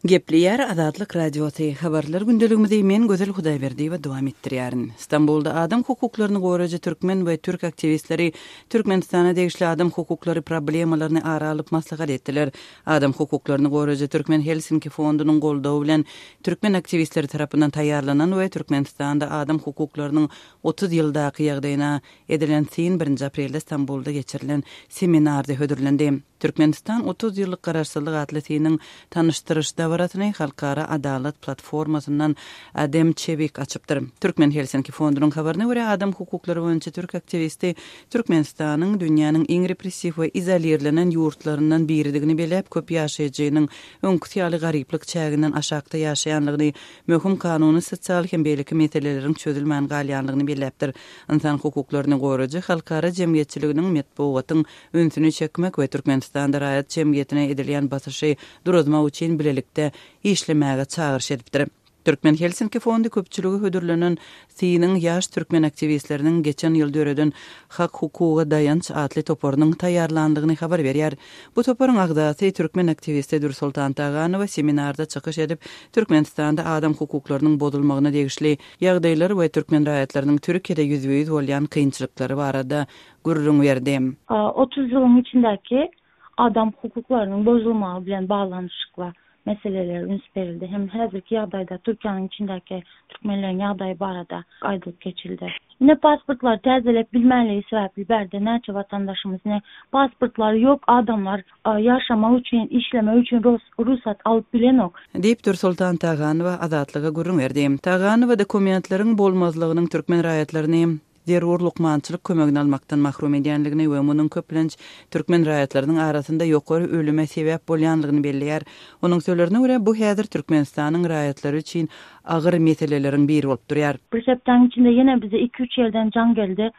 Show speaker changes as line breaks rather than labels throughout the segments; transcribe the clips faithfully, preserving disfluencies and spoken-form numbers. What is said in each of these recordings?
Gepleýär Azatlyk Radiosy. Habarlar gündeligimizi men Gözel Hudaýberdiýewa dowam etdirýärin. Stambulda adam hukuklaryny goraýjy türkmen we türk aktiwistleri Türkmenistana degişli adam hukuklary problemalaryny ara alyp maslahat etdiler. Adam hukuklaryny goraýjy Türkmen Helsinki fondunyň goldawy bilen türkmen aktiwistleri tarapyndan taýýarlanan we Türkmenistanda adam hukuklarynyň otuz ýyldaky ýagdaýyna edilen syn birinji aprelde Stambulda geçirilen seminarda hödürlendi. Türkmenistan otuz ýyllyk garaşsyzlyk atly synyň tanyşdyryş dabarasyny Halkara Adalat platformasyndan Adem Çewik açypdyr. Türkmen Helsinki fondunyň habaryna görä, adam hukuklary boýunça türk aktiwisti Türkmenistanyň dünýäniň iň repressiw we izolirlenen ýurtlaryndan biridigini belläp, köp ýaşaýjynyň öňküsi ýaly garyplyk çäginden aşakda ýaşaýanlygyny, möhüm kanuny, sosial hem beýleki meseleleriň çözülmän galýanlygyny belläpdir. Ynsan hukuklaryny goraýjy halkara jemgyýetçiliginiň metbugatyň ünsüni çekmek we Türkmenistanda raýat jemgyýetine edilýän basyşy duruzmak üçin bilelikde işlemäge çagyryş edipdir. Türkmen Helsinki fondy köpçüligi hödürlenen synyň ýaş türkmen aktiwistleriniň geçen ýyl döreden Hak hukuga daýanç atly toparynyň taýýarlandygyny habar berýär. Bu toparyň agzasy türkmen aktiwisti Dürsoltan Taganowa seminarda çykyş edip, Türkmenistanda adam hukuklarynyň bozulmagyna degişli ýagdaýlar we türkmen raýatlarynyň Türkiýede ýüzbe-ýüz bolýan kynçylyklary barada gürrüň berdi.
otuz ýylyň içindäki adam hukuklarynyň bozulmagy bilen baglanyşykly meseleler üns berildi. Hem häzirki ýagdaýda Türkiýäniň içindäki türkmenleriň ýagdaýy barada aýdylyp geçildi. Ine pasportlar täzelep bilmänligi sebäpli bärde näçe watandaşymyz, ne pasportlary ýok adamlar ýaşamak üçin, işlemek üçin rugsat alyp bilenok.
Diýip Dürsoltan Taganowa Azatlyga gürrüň berdi. Taganowa dokumentleriň bolmazlygynyň türkmen raýatlaryny zerur lukmançylyk kömegini almakdan mahrum edýänligini we munuň köplenç türkmen raýatlarynyň arasynda ýokary ölüme sebäp bolýanlygyny belleýär. Onuň sözlerine görä, bu häzir Türkmenistanyň raýatlary üçin agyr meseleleriň biri bolup durýar.
Bir hepdäniň içinde ýene bize iki-üç ýerden jaň geldi.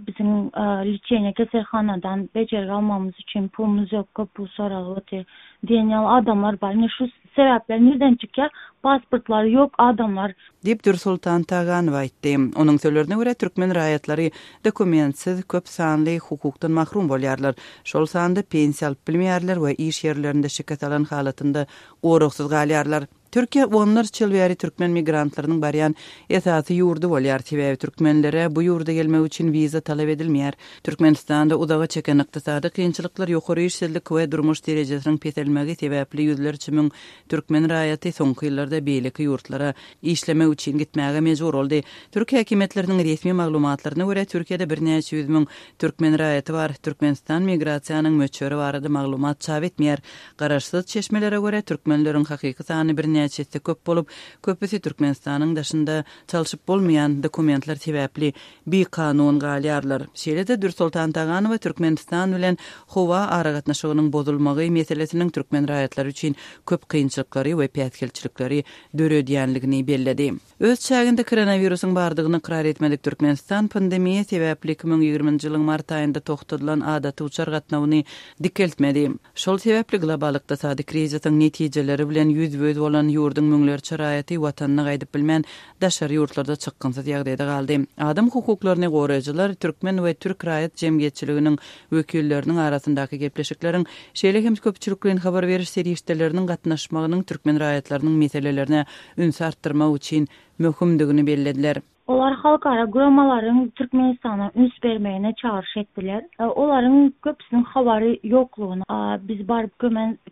Biziň liçeniýe keselhanadan bejergi almamyz üçin pulumyz ýok, köp pul soralyp otyr diýen ýaly adamlar bar. Ine şu sebäpler nirden çykýar? Pasportlary ýok adamlar.
Diýip Dürsoltan Taganowa aýtdy. Onuň sözlerine görä, türkmen raýatlary dokumentsiz köp sanly hukukdan mahrum bolýarlar. Şol sanda pensiýa alyp bilmeýärler we iş ýerlerinde şikes alan halatynda goragsyz galýarlar. Türkiýe onlarça ýyl bäri türkmen migrantlarynyň barýan esasy ýurdy bolýar. Sebäbi türkmenlere bu ýurda gelmek üçin wiza talap edilmeýär. Türkmenistanda uzaga çeken ykdysady kynçylyklar, ýokary işsizlik we durmuş derejesiniň peselmegi sebäpli ýüzlerçe müň türkmen raýaty soňky ýyllarda beýleki ýurtlara işlemek üçin gitmäge mejbur boldy. Türk häkimiýetleriniň resmi maglumatlaryna görä, Türkiýede birnäçe ýüz müň türkmen raýaty bar. Türkmenistan migrasiýanyň möçberi barada maglumat çap etmeýär. Garaşsyz çeşmelere görä, türkmenleriň hakyky sany birnäçe esse köp bolup, köpüsi Türkmenistanyň daşynda çalşyp bolmaýan dokumentler sebäpli bikanun galýarlar. Şeýle-de Dürsoltan Taganowa Türkmenistan bilen howa aragatnaşygynyň bozulmagy meselesiniň türkmen raýatlary üçin köp kynçylyklary we päsgelçilikleri döredýänligini belledi. Öz çäginde koronawirusyň bardygyny ykrar etmedik Türkmenistan pandemiýa sebäpli iki müň ýigriminji ýylyň mart aýynda togtadylan adaty uçar gatnawyny dikeltmedi. Şol sebäpli global ykdysady krizisiň netijeleri bilen ýüzbe-ýüz bolan ýurduň müňlerçe raýaty watanyna gaýdyp bilmän daşary ýurtlarda çykgynsyz ýagdaýda galdy. Adam hukuklaryny goraýjylar türkmen we türk raýat jemgyýetçiliginiň wekilleriniň arasyndaky gepleşikleriň, şeýle hem köpçülikleýin habar beriş serişdeleriniň gatnaşmagynyň türkmen raýatlarynyň meselelerine üns artdyrmak üçin möhümdigini bellediler.
Olar halkara guramalaryň Türkmenistana üns bermegine çagyryş etdiler. Olaryň köpüsiniň habary ýoklugyny, biz baryp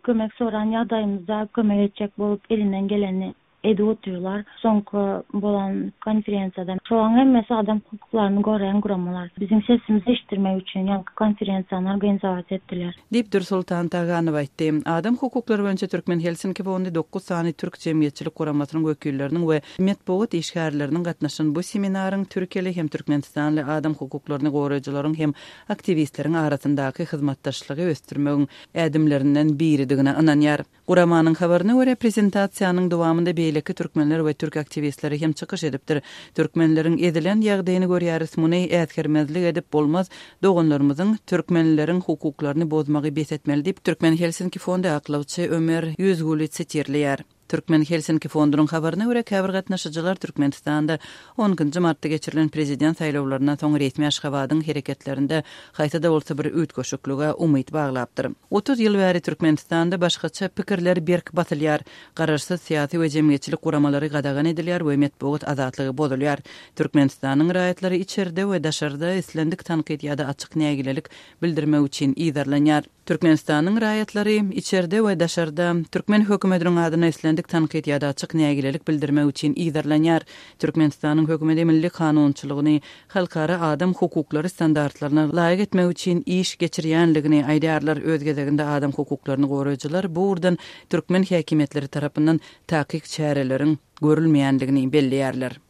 kömek soran ýagdaýymyzda kömek etjek bolup elinden geleni edip otyrlar. Soňky bolan konferensiýada şolaryň hemmesi adam hukuklaryny goraýan guramalar. Biziň sesimizi eşitdirmek üçin ýaňky konferensiýany organizasiýa etdiler.
Diýip Dürsoltan Taganowa aýtdy. Adam hukuklary boýunça Türkmen Helsinki fondy dokuz sany türk jemgyýetçilik guramasynyň wekilleriniň we metbugat işgärleriniň gatnaşan bu seminaryň Türkiýeli hem Türkmenistanly adam hukuklaryny goraýjylaryň hem aktiwistleriň arasyndaky hyzmatdaşlygy ösdürmegiň ädimlerinden biridigine ynanýar. Guramanyň habaryna görä, prezentasiýanyň dowamynda beýleki türkmenler we türk aktiwistleri hem çykyş edipdir. Türkmenleriň edilen ýagdaýyny görýäris, muny äsgermezlik edip bolmaz, doganlarymyzyň türkmenleriň hukuklaryny bozmagy bes etmeli diýip, Türkmen Helsinki fondy aklawçy Ömer Ýüzgüli sitirleýär. Türkmen Helsinki fondunyň habaryna görä käbir gatnaşyjylar Türkmenistanda on ikinji martda geçirilen prezident saýlawlaryndan soň resmi Aşgabadyň hereketlerinde haýsy-da bolsa bir üýtgeşiklige umyt baglapdyr. Otuz ýyl bäri Türkmenistanda başgaça pikirler berk basylýar. Garaşsyz syýasy we jemgyýetçilik guramalary gadagan edilýär we metbugat azatlygy bozulýar. Türkmenistanyň raýatlary içerde we daşarda islendik tankyt ýa-da açyk nägilelik bildirmek üçin yzarlanýar. Türkmenistanyň raýatlary içerde we daşarda türkmen hökümetiniň adyna islendik tankyt ýa-da açyk nägilelik bildirmek üçin yzarlanýar. Türkmenistanyň hökümeti milli kanunçylygyny halkara adam hukuklary standartlaryna laýyk etmek üçin iş geçirýänligini aýdýarlar. Öz gezeginde adam hukuklaryny goraýjylar bu ugurdan türkmen häkimiýetleri tarapyndan takyk çäreleriň görülmeýänligini belleýärler.